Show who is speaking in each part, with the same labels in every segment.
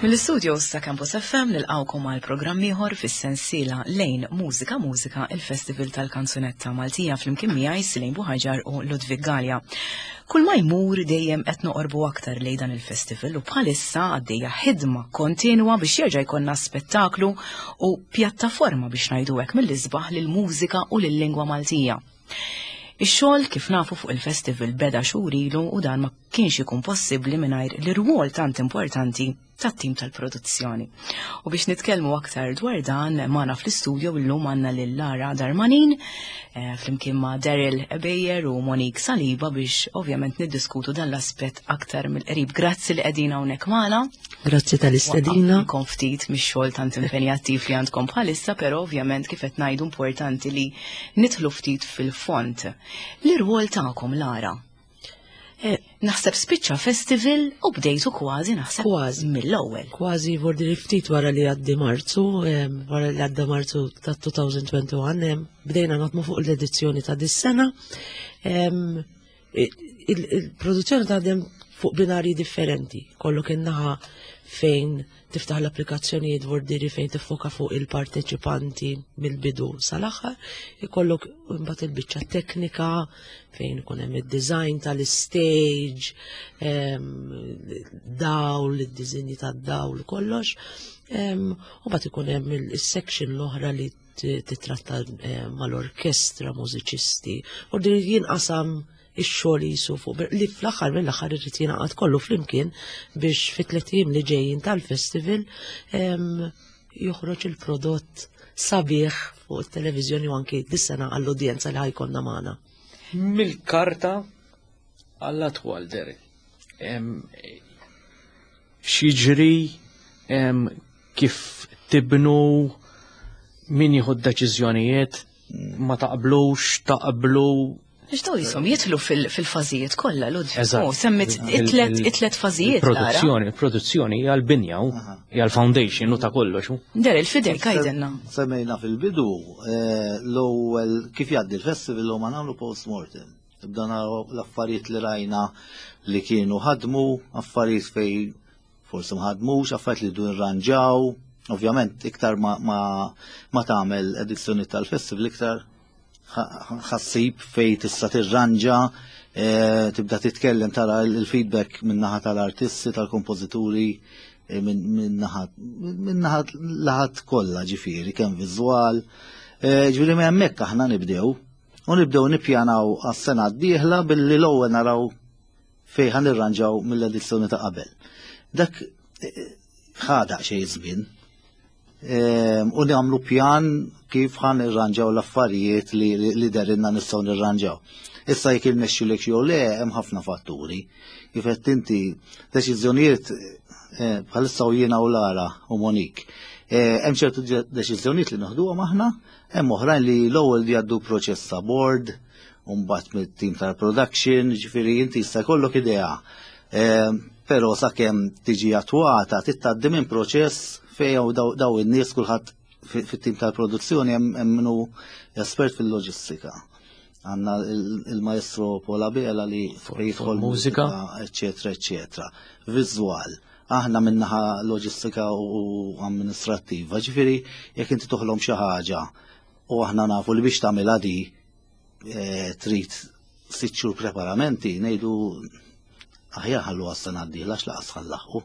Speaker 1: Mill-istudios ta' Campus FM nilqawkom għal programm ieħor fis-sensiela Lejn Mużika Mużika il-Festival tal-Kanzunetta Maltija flimkien miegħi Silejn Buħaġar u Ludwig Galea. Kull ma jmur dejjem qed noqorbu aktar lejn dan il-festival u bħalissa għaddejja ħidma kontinwa biex jerġa' jkollna spettaklu u pjattaforma biex ngħidu hekk mill-isbaħ lill-mużika u lil-lingwa Maltija. Ix-xogħol kif nafu fuq il-festival beda xhur ilu u dan ma kienx ikun possibbli mingħajr l-irwol tant importanti tat-tim tal-produzzjoni. U biex nitkellmu aktar dwar dan magħna fl-istudio illum għandna lil Lara Darmanin eh, flimkien ma' Daryl Ebejer u Monique Saliba biex ovvjament niddiskutu dan l-aspett aktar mill-qrib. Grazzi li qegħdin hawnhekk magħna.
Speaker 2: Grazzi tal-istedina.
Speaker 1: Kom ftit mix-xogħol tant impenjattiv li għandkom bħalissa, però ovvjament kif qed ngħidu importanti li nidħlu ftit fil-font. L-irwol tagħkom Lara. Eh, naħseb spiċċa festival u bdejtu kważi naħseb
Speaker 2: kważi
Speaker 1: mill-ewwel.
Speaker 2: Kważi vordi li ftit wara li għaddi Marzu, wara li għadda Marzu ta' 2021, bdejna naħdmu fuq l-edizzjoni ta' dis-sena. Il-produzzjoni taħdem fuq binarji differenti. Kollok in-naħa fejn tiftaħ l-applikazzjonijiet vordiri fejn tiffoka fuq il-parteċipanti mill-bidu sal-aħħar, ikollok imbagħad il-biċċa teknika fejn ikun hemm id-design tal-istage, dawl, id-diżinji tad-dawl, kollox. U mbagħad ikun hemm il-section l-oħra li titratta eh, mal-orkestra, mużiċisti, u din jinqasam ix-xogħol jisu fuq li fl-aħħar mill-aħħar irid jingħaqad kollu flimkien biex fit-tliet ijiem li ġejjin tal-festival joħroġ il-prodott sabiħ fuq it-televiżjoni u anki dis-sena għall-udjenza li ħajkonna magħna.
Speaker 3: Mill-karta għall-atwal, Derek. X'jiġri kif tibnu min jieħu d-deċiżjonijiet ma taqblux, taqblu.
Speaker 1: Nixtaw jisom jitlu fil-fażijiet kollha l Oh, semmit it-tlet fażijiet.
Speaker 3: Produzzjoni, produzzjoni hija l-binja hija l-foundation u ta' kollox.
Speaker 1: Der il-fidel kajdenna.
Speaker 4: Semmejna fil-bidu eh, l-ewwel kif jgħaddi l-festival u ma nagħmlu post-mortem. Nibda naraw l-affarijiet li rajna li kienu ħadmu, affarijiet fej forsi ma ħadmux, affarijiet li du nirranġaw. Ovvjament, iktar ma, ma, ma tagħmel edizzjoni tal-festival, iktar ħassib fej tista' tirranġa, e, tibda titkellem tara il-feedback min-naħa tal-artisti, tal-kompożituri, e, min-naħa laħat kollha ġifieri, kemm viżwal. E, ġifieri minn hemmhekk aħna nibdew. U nibdew nippjanaw għas-sena d-dieħla billi l-ewwel naraw fejn ħa nirranġaw mill-edizzjoni ta' qabel. Dak eh, ħa daqsxejn żmien. Ehm, u nagħmlu pjan kif ħa nirranġaw l-affarijiet li, li derinna nistgħu nirranġaw. Issa jekk irnexxilek jew le hemm ħafna fatturi. Kif qed inti deċiżjonijiet eh, bħalissa u jiena u Lara u Monik. Eh, hemm ċertu deċiżjonijiet li noħduhom aħna Hemm oħrajn li l-ewwel jgħaddu proċess ta' board, u mbagħad mit-tim tal-production, ġifieri inti jista' jkollok idea. Ehm, però sakemm tiġi attwata titgħaddi minn proċess fejn daw in-nies kulħadd fit-tim tal-produzzjoni hemm minnu espert fil-loġistika. Għanna il-maestro Paul Abela li jidħol
Speaker 3: mużika,
Speaker 4: eccetera, eccetera. Viżwal aħna minnaħa loġistika u amministrattiva. Ġifieri jekk inti toħlom xi ħaġa u aħna nafu li biex tagħmilha di eh, trid sitt xhur preparamenti, ngħidu aħjar ħallu għas-sena d-dieħla għax laqas ħallaħqu.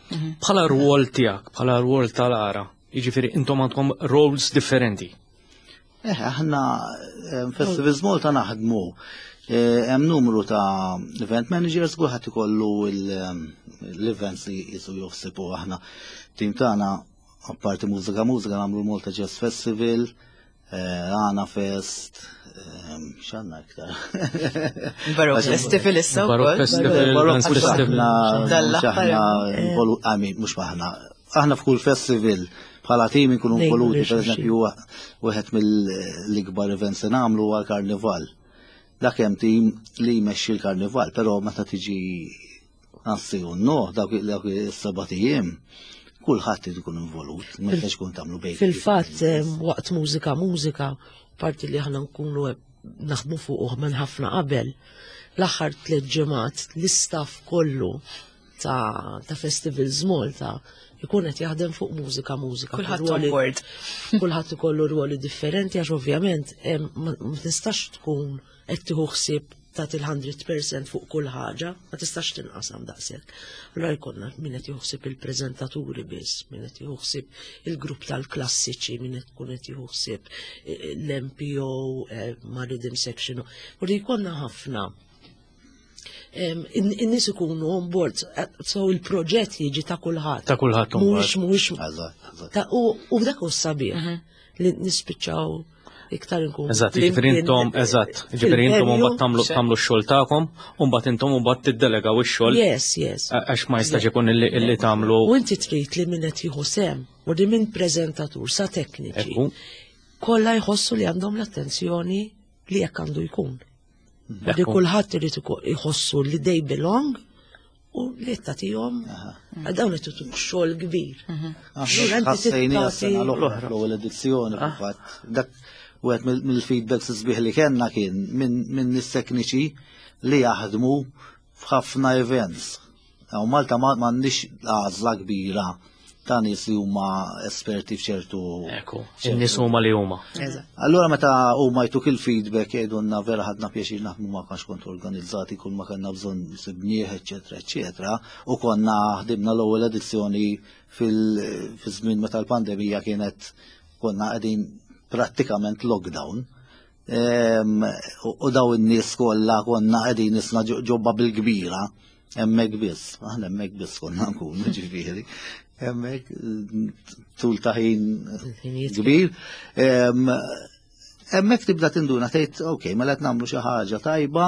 Speaker 3: Mhm. Bħala rwol tiegħek, bħala rwol tal-ara, jiġifieri intom għandkom roles differenti.
Speaker 4: Eh, aħna eh, Festivals Malta naħdmu eh, hemm numru ta' event managers kulħadd ikollu l-events li jisu joħsibu aħna. Tim tagħna apparti mużika mużika nagħmlu l-Malta Jazz Festival, Għana Fest, x'għandna iktar.
Speaker 1: Baroque Festival issa
Speaker 3: Baroque Festival,
Speaker 4: Baroque Festival. Aħna, mhux aħna, aħna f'kull festival bħala tim inkunu involuti, per eżempju, wieħed mill-ikbar events li nagħmlu huwa l-karnival. Dak hemm tim li jmexxi l-karnival, però meta tiġi għassi u no, dawk is-seba' ijiem, kulħadd irid ikun involut, ma jistax ikun tagħmlu bejn.
Speaker 2: Fil-fatt waqt mużika mużika, parti li aħna nkunu naħdmu fuq minn ħafna qabel, l-aħħar tliet ġimgħat l-istaff kollu. ta', ta Festivals Malta jkun qed jaħdem fuq mużika mużika.
Speaker 1: Kulħadd on board.
Speaker 2: Kulħadd ikollu rwoli differenti għax ovvjament ma tistax tkun qed tieħu ħsieb ta' il-100% fuq kull ħaġa, ma tistax tinqasam daqshekk. Allura jkollna min qed jieħu il-preżentaturi biss, min qed jieħu ħsieb il-grupp tal-klassiċi, min qed tkun qed jieħu ħsieb eh, l-MPO eh, ma' Rhythm Section. U li jkollna ħafna in-nies ikunu on board, eh, so il-proġett jiġi ta' kulħadd.
Speaker 3: Ta' kulħadd.
Speaker 2: Mhuwiex mhuwiex. U dak hu sabiħ mhm. li nispiċċaw iktar nkun.
Speaker 3: Eżatt, jiġifieri intom, eżatt, jiġifieri intom mbagħad tagħmlu tagħmlu x-xogħol tagħkom, u mbagħad intom mbagħad tiddelegaw ix-xogħol.
Speaker 2: Yes.
Speaker 3: Għax ma jistax ikun illi tagħmlu.
Speaker 2: U inti trid li min qed jieħu sehem, u li minn preżentatur sa tekniċi. Kollha jħossu li għandhom l-attenzjoni li jekk għandu jkun. Li kulħadd irid iħossu li they belong u li tagħtihom dawn qed tutuk xogħol kbir. Mhm.
Speaker 4: Ħassejni għas-sena l-oħra fl-ewwel edizzjoni ah. fil-fatt. Dak wieħed mill-feedbacks sbieħ li kellna kien minn nies tekniċi li jaħdmu f'ħafna events. U Malta ma m'għandniex għażla kbira ta' nies li huma esperti f'ċertu.
Speaker 3: Ekku, in-nies huma li huma.
Speaker 4: Allura meta huma jtuk il-feedback jgħidulna vera ħadna pjaċir naħdmu ma kanx kont organizzati kull ma kellna bżonn sibnieh, eċetera, eċetera, u konna ħdimna l-ewwel edizzjoni fil-żmien meta l-pandemija kienet konna qegħdin prattikament lockdown. U daw in-nies kollha konna qegħdin isna ġobba bil-kbira hemmhekk biss, aħna hemmhekk biss konna nkunu ġifieri. Hemmhekk tul ta' ħin kbir. Hemmhekk tibda tinduna tgħid, ok, mela qed nagħmlu xi ħaġa tajba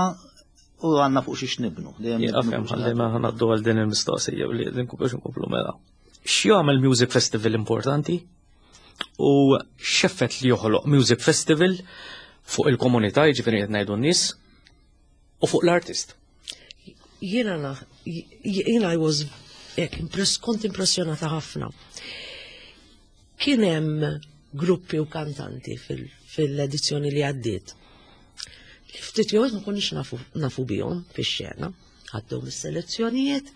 Speaker 4: u għandna fuq xiex nibnu.
Speaker 3: Għafem, ħalli ma ħanaddu għal din il-mistoqsija li biex nkomplu mela. X'jagħmel Music Festival importanti? U x'effett li joħloq Music Festival fuq il-komunità, jiġifieri qed ngħidu n-nies, u fuq l-artist?
Speaker 2: Jiena jiena I was hekk kont impressjonata ħafna. Kien hemm gruppi u kantanti fil-edizzjoni li għaddiet. Li ftit jew ma konniex nafu, nafu bihom fix-xena, għaddew mis-selezzjonijiet.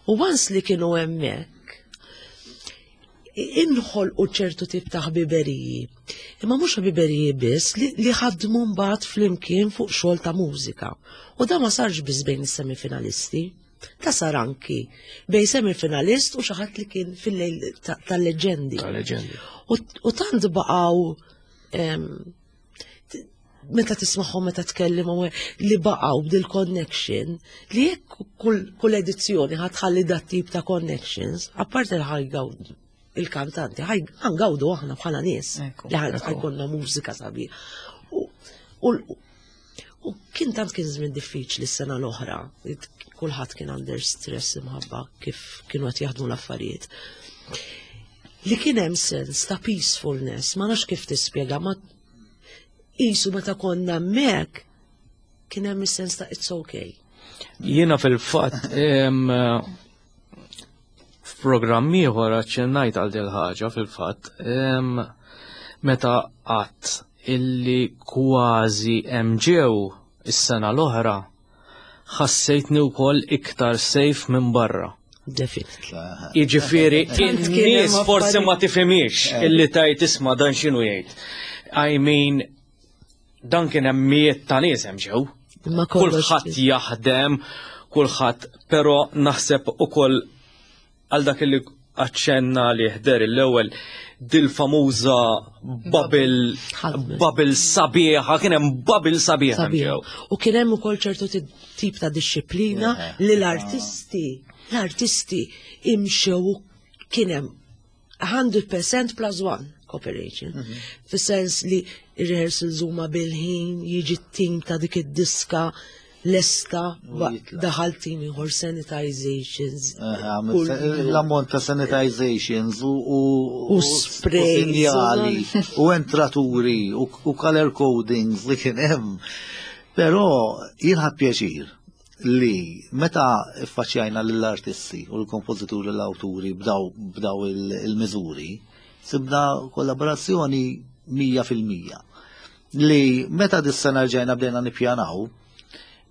Speaker 2: U once li kienu hemmhekk, inħolqu ċertu tip ta' ħbiberiji. Imma mhux ħbiberiji biss li, li ħadmu mbagħad flimkien fuq xogħol ta' mużika. U da ma sarx biss bejn is-semifinalisti. Ta' sar anki bejn semifinalist u xi ħadd li kien fil-lejl tal-leġendi.
Speaker 3: Tal-leġendi.
Speaker 2: U tant baqgħu meta tismagħhom meta tkellimhom li baqgħu b'dil connection li jekk kull edizzjoni ħatħalli dat tip ta' connections, apparti li ħajgawdu il-kantanti, ħangawdu aħna bħala nies li ħajkonna mużika sabiħ. U kien tant kien żmien diffiċli s-sena l-oħra, kulħadd kien under stress imħabba kif kienu qed jaħdmu l-affarijiet. Li kien hemm sens ta' peacefulness, ma nafx kif tispjega, ma qisu meta konna hemmhekk kien hemm is-sens ta' it's okay.
Speaker 3: Jiena fil-fatt f'programm ieħor aċċennajt għal dil ħaġa fil-fatt meta qatt illi kważi hemm ġew is-sena l-oħra ħassejtni wkoll iktar safe minn barra.
Speaker 2: Definitely.
Speaker 3: Jiġifieri in-nies forsi ma tifhimiex eh. illi tajt isma' dan x'inhu jgħid. I mean, dan kien hemm mijiet ta' nies hemm ġew. Kulħadd jaħdem, kulħadd, però naħseb ukoll għal dak li aċċenna li ħder l-ewwel dil-famuża bubble bubble sabiħa, kien hemm bubble sabiħa.
Speaker 2: U kien hemm ukoll ċertu tip ta' disċiplina li l-artisti, l-artisti imxew kien hemm 100% plus one cooperation. Mhm. Fis-sens li rehearsals huma bil-ħin, jiġi t-tim ta' dik id-diska lesta daħal tim ieħor sanitizations.
Speaker 4: L-ammont ta' sanitizations
Speaker 2: u spray
Speaker 4: sinjali u entraturi u color codings li kien hemm. Però jien ħadd pjaċir li meta ffaċċjajna lill-artisti u l-kompożituri l-awturi b'daw il-miżuri, sibna kollaborazzjoni 100%. Li meta dis-sena rġajna bdejna nippjanaw,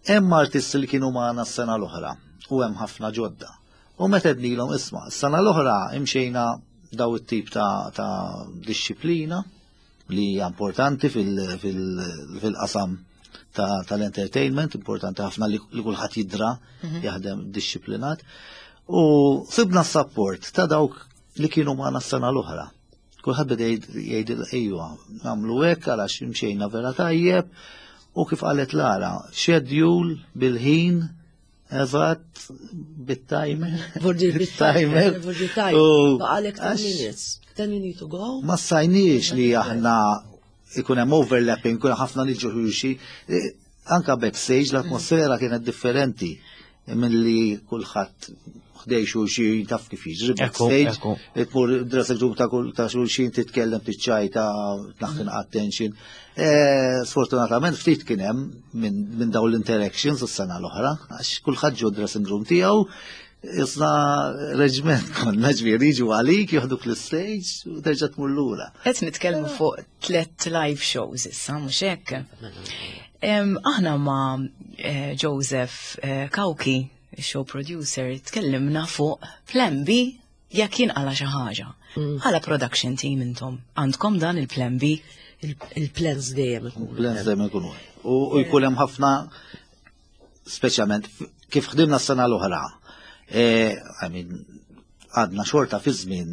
Speaker 4: hemm artisti li kienu magħna s-sena l-oħra. u hemm ħafna ġodda. U meta għednilhom isma' s-sena l-oħra imxejna daw it-tip ta', ta disċiplina li hija importanti fil-qasam tal-entertainment, importanti ħafna li kulħadd jidra mhm. jaħdem disċiplinat. U sibna s-support ta' dawk li kienu magħna s-sena l-oħra. Kulħadd beda jgħid ejwa, nagħmlu hekk għalax imxejna vera tajjeb u kif qalet Lara, schedule bil-ħin Eżatt, bit-timer.
Speaker 2: Vordi bit-timer. Vordi timer. Baqalek 10 minutes. Then you need to go.
Speaker 4: Ma sajniex li aħna ikun hemm overlapping, ikun ħafna niġu xulxi. E, anka backstage l-atmosfera kienet differenti milli kulħadd ħdej xulxin taf kif jiġri backstage, tmur dressing room ta' kull ta' xulxin titkellem tiċċajta tnaħħin attention. E, sfortunatament ftit kien hemm minn dawn l-interactions is-sena l-oħra, għax kulħadd ġo dressing room tiegħu, Isna reġment konna ġifieri jiġu għalik, joħduk l-stage u terġa' tmur lura.
Speaker 1: Qed nitkellmu fuq tlet live shows issa, mhux hekk? Aħna ma' eh, Joseph eh, Kauki, show producer, tkellimna fuq Plan B jekk jinqala xi ħaġa. Mm. Bħala production team intom, għandkom dan il-Plan B?
Speaker 2: Il-plans dejjem
Speaker 4: ikunu. Plans dejjem ikunu. U jkun hemm ħafna speċjalment kif ħdimna s-sena l-oħra. E, I mean, għadna xorta fi żmien.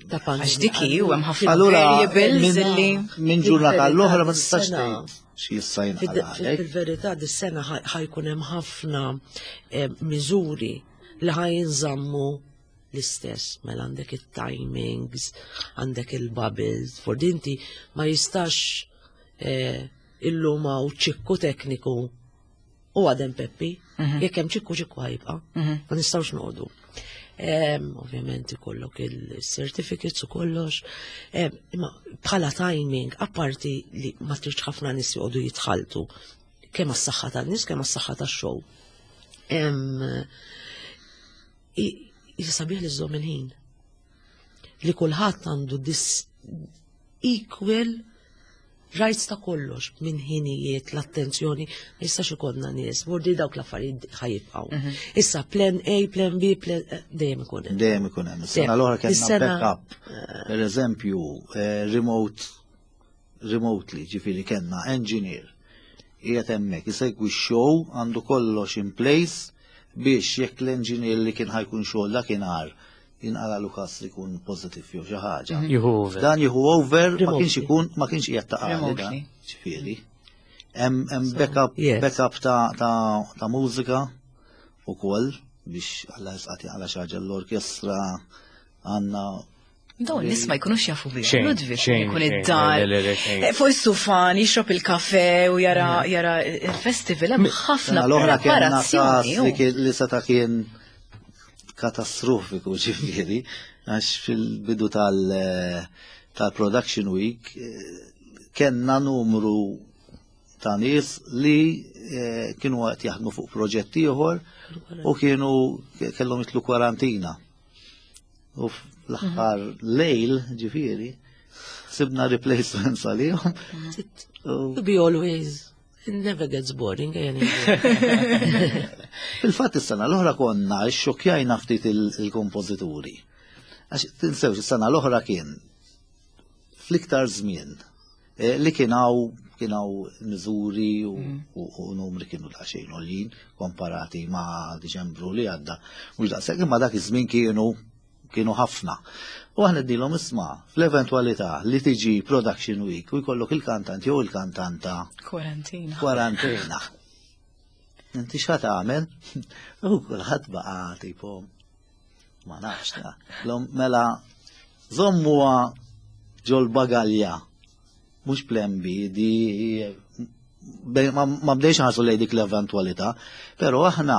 Speaker 1: Għax diki u hemm ħafna variables
Speaker 4: li minn ġurnata l-oħra ma tistax tgħid xi jista' jinqala.
Speaker 2: Fil-verità dis-sena ħajkun hemm ħafna eh, miżuri li ħajinżammu l-istess, mela għandek it-timings, għandek il-bubbles, for dinti ma jistax eh, illum hawn ċikku tekniku u għadem Peppi, mhm. jekk hemm ċikku ċikku ħajbqa, mhm. ma nistgħux noqogħdu. Ovvjament ikollok il-certificates u kollox, imma bħala timing, apparti li ma tridx ħafna nies joqogħdu jitħaltu, kemm għas-saħħa tan-nies, kemm għas-saħħa tax-show. Sabiħ li żżomm il-ħin. Li kulħadd għandu dis equal rights ta' kollox minn ħinijiet l-attenzjoni ma jistax ikollna nies, vordi dawk l-affarijiet ħajibqgħu. Mhm. Issa plan A, plan B, plan eh, dejjem ikun
Speaker 4: hemm. Dejjem ikun hemm. Is-sena l-oħra kellna backup. Eh. Per eżempju, eh, remote remotely, ġifieri kellna engineer qiegħed hemmhekk isegwi x-show għandu kollox in place biex jekk l-engineer li kien ħajkun xogħol dakinhar jinqala Lukas li jkun positive jew xi ħaġa. Mhm.
Speaker 3: Jieħu over.
Speaker 4: Dan jieħu over ma kienx ikun ma kienx qiegħed ta' qali ġifieri. Hemm backup backup ta' ta' mużika ukoll biex alla jisqati għala xi ħaġa l-orkestra għandna
Speaker 1: Dawn nies ma jkunux jafu bih. Ludwig jkun id-dar. Eh, fuq is-sufan jixrob il-kafe u jara mm. jara il-festival hemm ħafna
Speaker 4: l-oħra preparazzjoni. Li seta' kien katastrofiku ġifieri għax fil-bidu tal-production week eh, kellna numru ta' nies li eh, kienu qed jaħdmu fuq proġett ieħor u kienu kellhom jitlu kwarantina. U fl-aħħar mhm. lejl, ġifieri, sibna replacements għalihom.
Speaker 2: To be always It never gets boring,
Speaker 4: Fil-fatt is-sena l-oħra konna xokjajna ftit il-kompożituri. Għax tinsewx is-sena l-oħra kien fl-iktar żmien eh, li kien hawn kien hawn miżuri mm. u numri kienu daqsxejn għoljin komparati ma' Diċembru li għadda. Mhux daqshekk imma dak iż-żmien kienu kienu ħafna. U aħna dilhom isma' fl-eventwalità li tiġi production week u jkollok il-kantant jew il-kantanta.
Speaker 1: Kwarantina.
Speaker 4: Kwarantina. Inti x'ħa tagħmel? U kulħadd baqa' tipo ma nafx ta. Mela żommuha ġol bagalja mhux plan B di ma bdejx ħarsu lej dik l-eventwalità, però aħna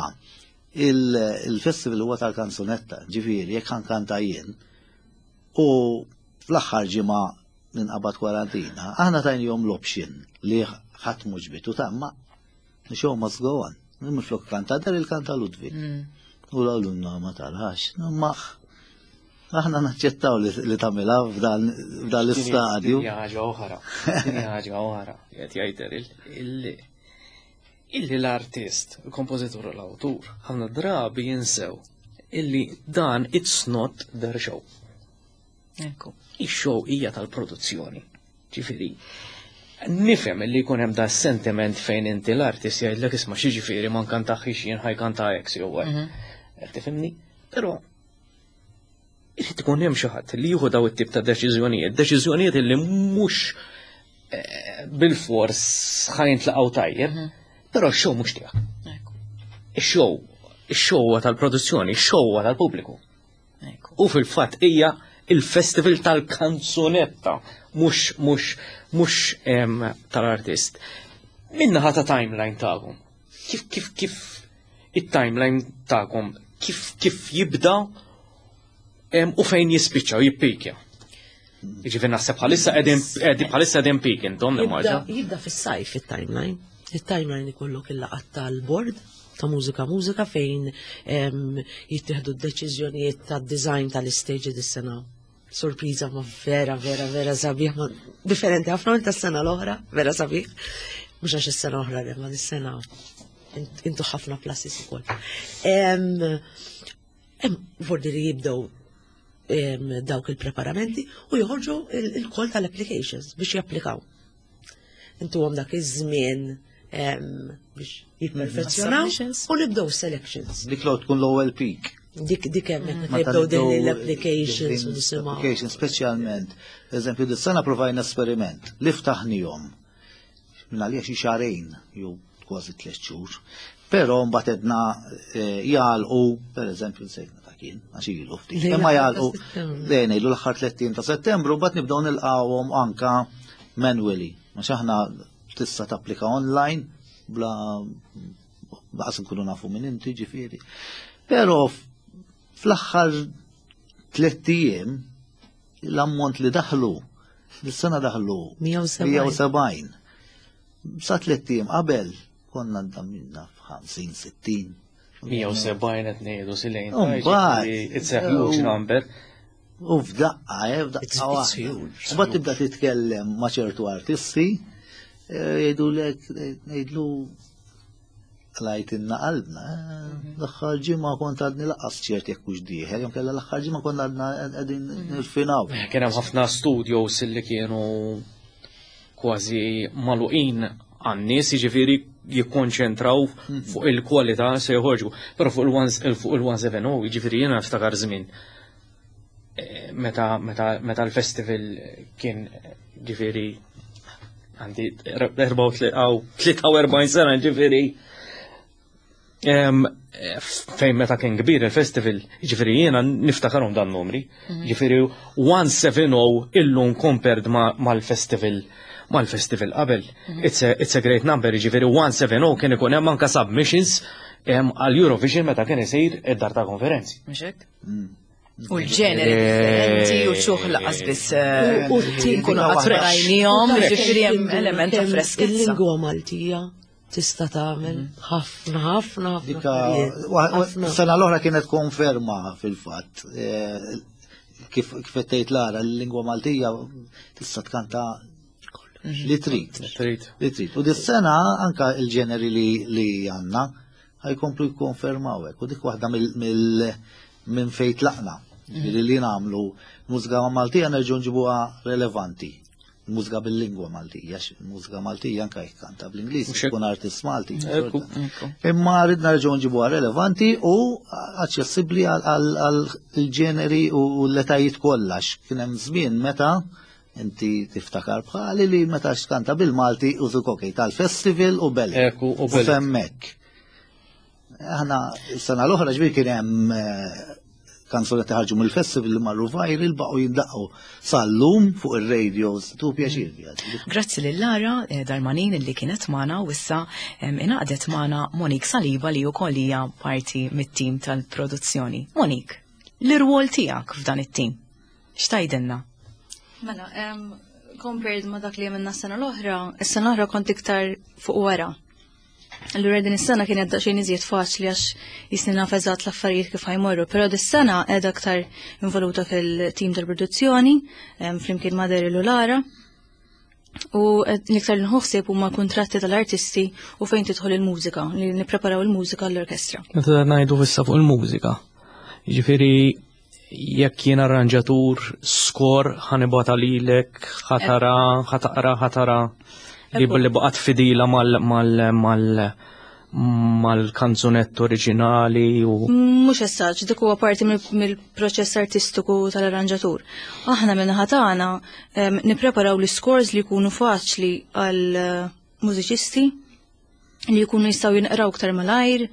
Speaker 4: Il-festival huwa tal-kanzunetta, ġifieri jekk ħankanta jien u fl-aħħar ġimgħa ninqabad kwarantina, aħna tajnihom l-option li ħadd mhux bitu ta' ma show must go on. Minflok kanta dar il-kanta Ludwig. Mm. U l-għalunna ma tarax, ma aħna naċċettaw li tagħmilha f'dan l-istadju.
Speaker 3: Ħaġa oħra, ħaġa oħra, qed jgħid Illi l-artist, il-kompożitur u l-awtur, ħafna drabi jinsew illi dan it's not their show.
Speaker 1: Ekku.
Speaker 3: Ix-show hija tal-produzzjoni. Ġifieri, nifhem li jkun hemm da sentiment fejn inti l-artist jgħidlek isma' xi ġifieri ma nkantaħx jien ħajkanta X jew Y. Qed tifhimni? Però irid ikun hemm xi ħadd li jieħu daw it-tip ta' deċiżjonijiet, deċiżjonijiet li mhux eh, bil-fors ħajntlaqgħu tajjeb, mhm. però x-show mhux tiegħek. Ix-show, ix-show huwa tal-produzzjoni, ix-show huwa tal-pubbliku. U fil-fatt hija il-festival tal-kanzunetta, mhux mhux mhux tal-artist. Minnaħa ta' timeline tagħkom. Kif kif kif it-timeline tagħkom kif kif jibda u fejn jispiċċa u jippikja. Jiġifieri naħseb bħalissa qegħdin bħalissa qegħdin peak intom
Speaker 2: nimmaġa. Jibda fis-sajf it-timeline. It-timeline ikollok il-laqgħat tal-board ta' mużika mużika fejn jittieħdu d-deċiżjonijiet tad-design tal-istage dis-sena. Sorpriża ma vera, vera, vera sabiħ, ma differenti ħafna minn tas-sena l-oħra, vera sabiħ. Mhux għax is-sena oħra, ma dis-sena intu ħafna pluses ukoll. Hemm vordi li jibdew dawk il-preparamenti u joħorġu il-kol tal-applications biex japplikaw. Intu għom dak iż-żmien biex jipperfezzjonaw u nibdew selections.
Speaker 4: Dik l tkun l-ewwel peak.
Speaker 2: Dik dik hemm meta nibdew din l-applications u nisimgħu.
Speaker 4: Applications speċjalment. Eżempju, dis-sena provajna esperiment li ftaħnihom minn għalija xi xahrejn jew kważi tliet xhur. Però mbagħad edna eh, jagħlqu, pereżempju nsejt meta kien, għax ilu ftit. Imma jagħlqu lejn ilu l-aħħar 30 ta' Settembru mbagħad nibdew nilqgħuhom anka manually. Għax aħna tista' tapplika online bla baqas nkunu nafu minn inti ġifieri. Però fl-aħħar tliet ijiem l-ammont li daħlu, dis-sena daħlu 170. Sa tliet ijiem qabel konna ndamminna f'50, 60.
Speaker 3: 170 qed ngħidu silejn. It's a huge number.
Speaker 4: U f'daqqa, eh, f'daqqa. Mbagħad tibda titkellem ma' ċertu artisti, eh, jgħidulek, ngħidlu Lajtinna qalbna, eh, l-aħħar ġimgħa kont għadni laqas ċert jekk hux dieħel, jew kellha l-aħħar ġimgħa konna għadna qegħdin mhm. nirfinaw.
Speaker 3: Eh, kien hemm ħafna studios li kienu kważi maluqin għan-nies, jiġifieri jikkonċentraw mhm. fuq il-kwalità se joħorġu. Però fuq il-170, jiġifieri jiena niftakar żmien eh, meta meta meta l-festival kien ġifieri għandi 43 sena ġifieri fejn meta kien kbir il-festival, ġifieri jiena niftakarhom dan numri, mhm. ġifieri 170 illum compared mal-festival mal-festival qabel. Mhm. It's a, it's a great number, ġifieri 170 kien ikun hemm anka submissions għal Eurovision meta kien isir id-dar ta' konferenzi.
Speaker 1: Mhux mm. U l-ġeneri differenti u ċuħ laqas biss eh, u nkunu qatt rajnihom, ġifieri hemm element ta' freskizza.
Speaker 2: Il-lingwa Maltija tista' tagħmel mhm. ħafna ħafna
Speaker 4: ħafna. Sena l-oħra kienet konferma fil-fatt eh, kif qed tgħid Lara l-lingwa Maltija tista' tkanta mhm. li trid. Li trid. U dis-sena anka il-ġeneri li għandna ħajkomplu jikkonfermaw hekk u dik waħda mill minn fejn tlaqna. Ġifieri li nagħmlu mużika Maltija nerġgħu nġibuha relevanti. Mużika bil-lingwa Maltija, mużika Maltija anke jekk kanta bl-Ingliż, tkun artist Malti. Imma ridna nerġgħu nġibuha relevanti u aċċessibbli għal ġeneri u l-etajiet kollha. Kien hemm żmien meta inti tiftakar bħali li meta xkanta bil-Malti u zukokej tal-festival u belli.
Speaker 3: Ekku, u
Speaker 4: belli. Femmek. Aħna sena l-oħra ġbir kien hemm eh, kanzunetti ħarġu mill-festival li marru viral baqgħu jindaqqu sal-lum fuq ir-radios tu pjaċir.
Speaker 1: Grazzi lil Lara eh, Darmanin li kienet magħna u issa ingħaqdet magħna Monique Saliba li wkoll hija parti mit-tim tal-produzzjoni. Monique, l-irwol tiegħek f'dan it-tim. X'tajdilna?
Speaker 5: Mela, compared ma dak li għamilna s-sena l-oħra, is-sena l-oħra kont iktar fuq wara. Allura din is-sena kienet daqsxejn iżjed faċli għax jisni naf eżatt l-affarijiet kif ħajmorru, però dis-sena qiegħda aktar involuta fil-tim tal-produzzjoni, flimkien ma' Daryl u Lara. U l-iktar li nħossib huma kuntratti tal-artisti u fejn tidħol il-mużika, li nippreparaw il-mużika l-orkestra.
Speaker 3: Meta ngħidu issa fuq il-mużika. Jiġifieri jekk jien arranġatur skor ħanibata lilek, ħatara, ħataqra, ħatara li billi baqgħet fidila mal mal mal mal-kanzunett oriġinali u.
Speaker 5: Mhux essaġ, dik huwa parti mill-proċess artistiku tal-arranġatur. Aħna minn tagħna nippreparaw l-scores li jkunu faċli għal eh, mużiċisti li jkunu jistgħu jinqraw iktar malajr,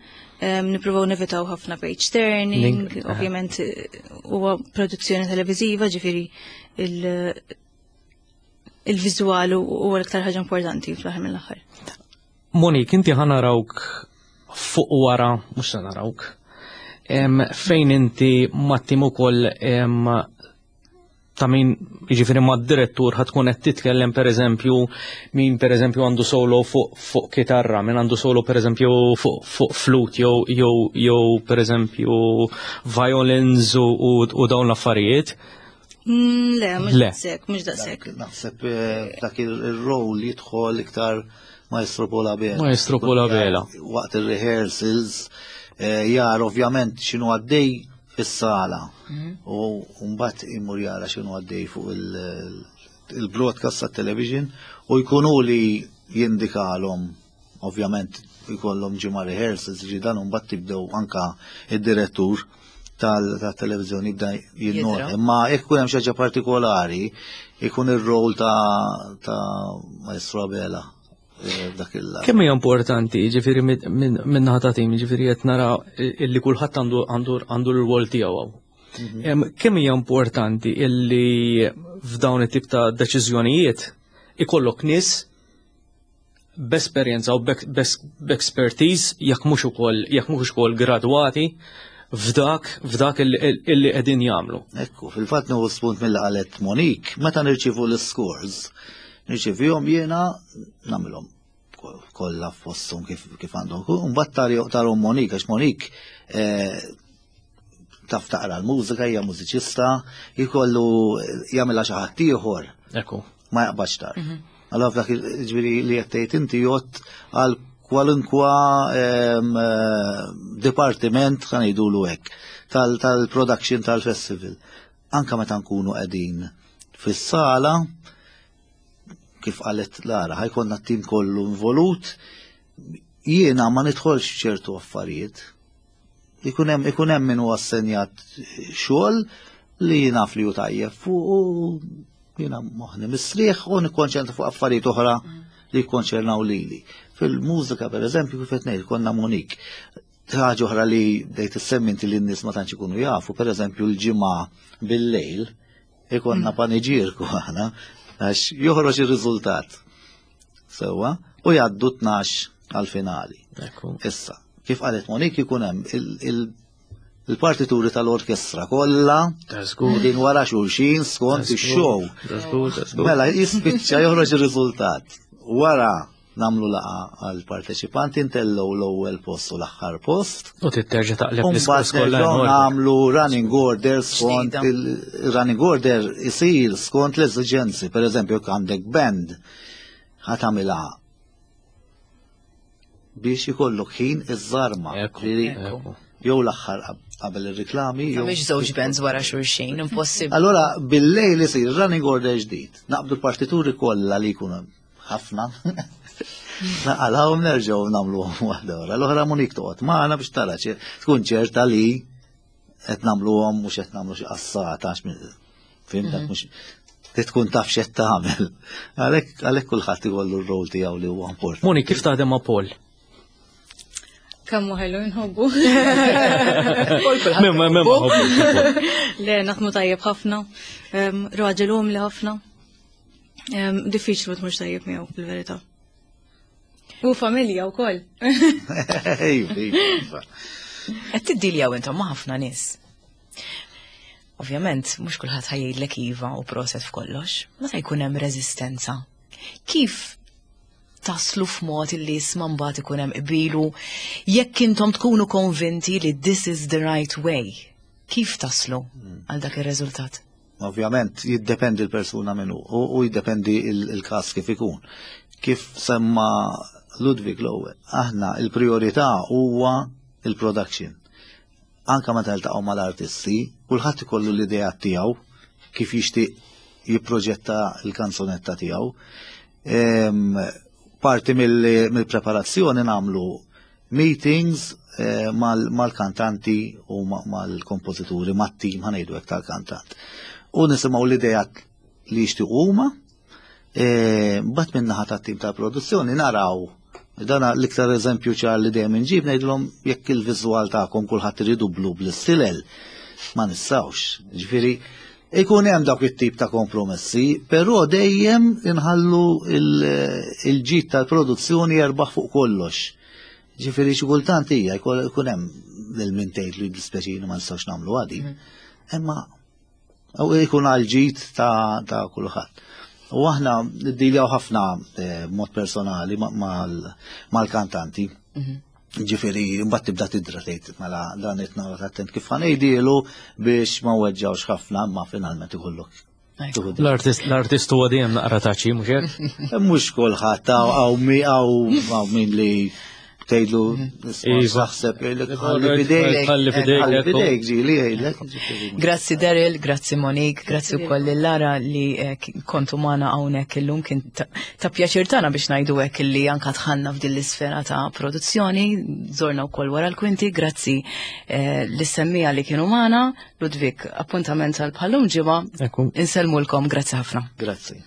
Speaker 5: nippruvaw nevitaw ħafna page turning, ovvjament eh, huwa produzzjoni televiżiva, ġifieri il- il-viżwal huwa l-iktar ħaġa importanti fl-aħħar mill-aħħar.
Speaker 3: Monik, inti ħa narawk fuq wara, mhux se narawk, fejn inti mat-tim ukoll ta' min jiġifieri mad-direttur ħa tkun qed titkellem pereżempju min pereżempju għandu solo fuq fuq kitarra, min għandu solo pereżempju fuq fuq flute jew jew jew pereżempju violins u, u, u dawn l-affarijiet.
Speaker 5: Mm, le, mhux daqshekk, mhux daqshekk.
Speaker 4: Naħseb eh, dak il-rol jidħol iktar Maestro Paul Abela.
Speaker 3: Maestro Paul Abela.
Speaker 4: Waqt il-rehearsals eh, jar ovvjament x'inhu għaddej fis-sala mhm. u mbagħad imur jara x'inhu għaddej fuq il-broadcast tat-television u jkunu li jindikalhom Ovvjament jkollhom ġimgħa rehearsals, ġi dan mbagħad tibdew anka id-direttur tal-televizjoni jibda jinnota. Imma jekk ikun hemm xi ħaġa partikolari, ikun ir-rol ta' ta' Maestro Abela eh, dak il
Speaker 3: Kemm hija importanti, ġifieri minn naħa ta' tim, ġifieri qed nara illi kulħadd għandu għandu għandu l-rwol tiegħu hawn. Mhm. Kemm hija importanti illi f'dawn it-tip ta' deċiżjonijiet ikollok nies b'esperjenza u b'expertise jekk mhux ukoll jekk mhux ukoll gradwati f'dak f'dak illi qegħdin jagħmlu.
Speaker 4: Ekku, fil-fatt nieħu spunt mill qalet Monique, meta nirċievu l-scores, nirċevihom jiena nagħmilhom kollha f'posthom kif kif għandhom. Mbagħad tarhom Monique għax Monique eh, taf taqra l-mużika, hija mużiċista, jkollu jagħmilha xi ħadd ieħor.
Speaker 3: Ekku.
Speaker 4: Ma jaqbadx tar. Mhm. Allora f'dak ġifieri li qed tgħid inti jgħod għal kwalunkwa ehm, eh, dipartiment ħa ngħidulu hekk tal-production tal-festival. Anka meta nkunu qegħdin fis-sala, kif qalet Lara, ħajkonna t-tim kollu involut, jiena ma nidħolx ċertu affarijiet. Ikun hemm ikun hemm min huwa assenjat xogħol li naf li hu tajjeb fuq u jiena moħħni mistrieħ u nikkonċentra fuq affarijiet oħra li jikkonċernaw lili. Fil-mużika pereżempju kif qed ngħid konna Monik. Ħaġa oħra li bdejt issemmi inti li n-nies ma tantx ikunu jafu, pereżempju l-ġimgħa bil-lejl ikonna mm. paniġierku aħna għax joħroġ ir-riżultat. Sewwa, u jgħaddu 12 għal-finali. Issa, kif qalet Monik ikun hemm il-partituri tal-orkestra kollha din wara xulxin skont ix-show. Mela jispiċċa joħroġ ir-riżultat. Wara namlu laqa għal parteċipanti ntellgħu l-ewwel post u l-aħħar post.
Speaker 3: U titterġa' taqleb l-iskors
Speaker 4: kollha. Nagħmlu running order skont il-running order isir skont l-eżiġenzi. Per eżempju, jekk għandek band ħa tagħmilha biex ikollok ħin iż-żarma. Jew l-aħħar qabel ir-riklami.
Speaker 1: Mhix żewġ bands wara xulxin, impossibbli.
Speaker 4: Allora bil-lejl isir running order ġdid. Naqbdu l-partituri kollha li jkunu ħafna. Naqalgħu nerġgħu nagħmluhom waħda wara. L-oħra Monik toqgħod magħna biex tara tkun ċerta li qed nagħmluhom mhux qed nagħmlu xi qassata għax fimtak mhm. mhux li tkun taf x'qed tagħmel. Għalhekk għalhekk kulħadd ikollu r-rol tiegħu li huwa importanti.
Speaker 3: Moni, kif taħdem ma' Paul?
Speaker 5: Kemm ħelu nħobbu.
Speaker 3: Memma, memma
Speaker 5: Le, naħdmu tajjeb ħafna. Raġel umli ħafna. Diffiċli ma tmurx tajjeb miegħu fil-verità. U familja wkoll.
Speaker 1: Qed tiddiljaw intom ma' ħafna nies. Ovvjament, mhux kulħadd ħajjidlek iva u proset f'kollox, meta jkun hemm reżistenza. Kif taslu f'mod illi isma' mbagħad ikun hemm qbilu jekk intom tkunu konvinti li this is the right way? Kif taslu għal dak ir-riżultat?
Speaker 4: Ovvjament jiddependi l-persuna minnu u jiddependi il-każ kif ikun. Kif semma Ludwig l-ewwel, aħna il-priorità huwa il-production. Anka meta niltaqgħu mal-artisti, kulħadd ikollu l-idea tiegħu kif jixtieq jipproġetta l-kanzunetta tiegħu. Parti mill-preparazzjoni nagħmlu meetings eh, mal-kantanti u mal-kompożituri, mat-tim ħanejdu hekk tal-kantant. U nisimgħu l-idejat li jixtiequ huma, eh, mbagħad min-naħa tat-tim tal-produzzjoni naraw Dan l-iktar eżempju ċar li dejjem inġib ngħidilhom jekk il-viżwal tagħkom kulħadd iridu blu bl-istilel ma nistgħux. Ġifieri ikun hemm dawk it-tip ta' kompromessi, però dejjem inħallu il-ġid tal-produzzjoni jerbaħ fuq kollox. Ġifieri xi kultant hija jkun hemm lil min tgħid li dispjaċini ma nistgħux nagħmlu għadi. Mhm. Imma u jkun għal ġid ta' kulħadd. U aħna niddiljaw ħafna eh, mod personali mal-kantanti. Mhm. Ġifieri mbagħad tibda tidra tgħid mela dan qed nagħmel attent kif ħanejdielu biex ma weġġawx ħafna imma finalment ikollok
Speaker 3: L-artist huwa dejjem naqra taċi, mhux
Speaker 4: hekk? Mhux kulħadd hawn min li tgħidlu iva. saħseb jgħidlek ħalli fidejk.
Speaker 3: Ħalli fidejk.
Speaker 4: Ħalli fidejk ġieli jgħidlek.
Speaker 1: Grazzi Daryl, grazzi Monique, grazzi wkoll lil Lara li eh, kontu magħna hawnhekk illum kien ta' pjaċir tagħna biex ngħidu hekk illi anka dħalna f'din l-isfera ta' produzzjoni, żorna wkoll wara l-kwinti, grazzi eh, lis-semmija li kienu magħna. Ludwig, appuntament għal bħallum ġimgħa. Insellmulkom, grazzi ħafna.
Speaker 4: Grazzi.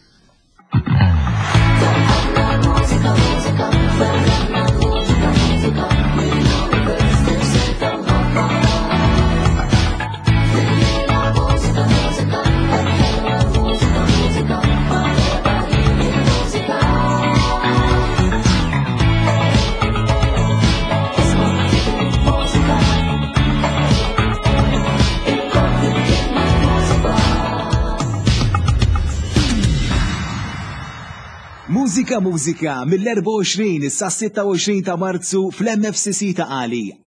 Speaker 6: Mużika Mużika mill-24 sa 26 ta' Marzu fl-MFCC ta' Qali.